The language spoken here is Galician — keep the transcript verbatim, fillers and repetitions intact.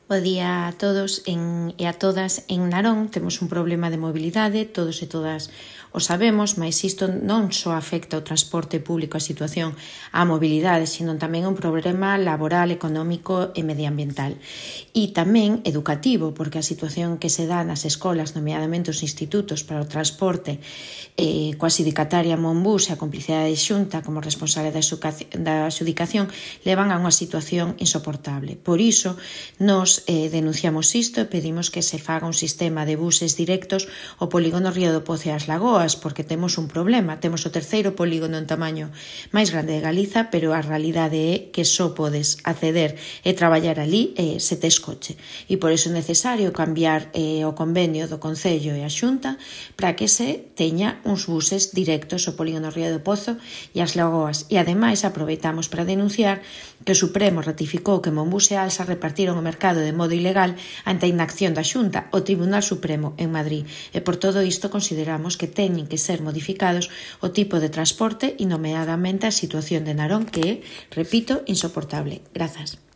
Bo día a todos en, e a todas. En Narón temos un problema de mobilidade, todos e todas o sabemos, mas isto non só afecta ao transporte público, a situación á mobilidade, sino tamén un problema laboral, económico e medioambiental. E tamén educativo, porque a situación que se dá nas escolas, nomeadamente os institutos para o transporte, eh, coa sindicataria Monbus e a complicidade de Xunta como responsable da, da xudicación, levan a unha situación insoportable. Por iso, nos eh, denunciamos isto e pedimos que se faga un sistema de buses directos ao polígono Río do Pozo e as Lagoas, porque temos un problema. Temos o terceiro polígono en tamaño máis grande de Galiza, pero a realidade é que só podes acceder e traballar ali eh, se tes coche. E por iso é necesario cambiar eh, o convenio do Concello e a Xunta para que se teña uns buses directos ao polígono Río do Pozo e as Lagoas. E ademais aproveitamos para denunciar que o Supremo ratificou que Monbus e Alsa repartiron o mercado de modo ilegal ante a inacción da Xunta, o Tribunal Supremo en Madrid. E por todo isto consideramos que teñen que ser modificados o tipo de transporte e nomeadamente a situación de Narón, que é, repito, insoportable. Grazas.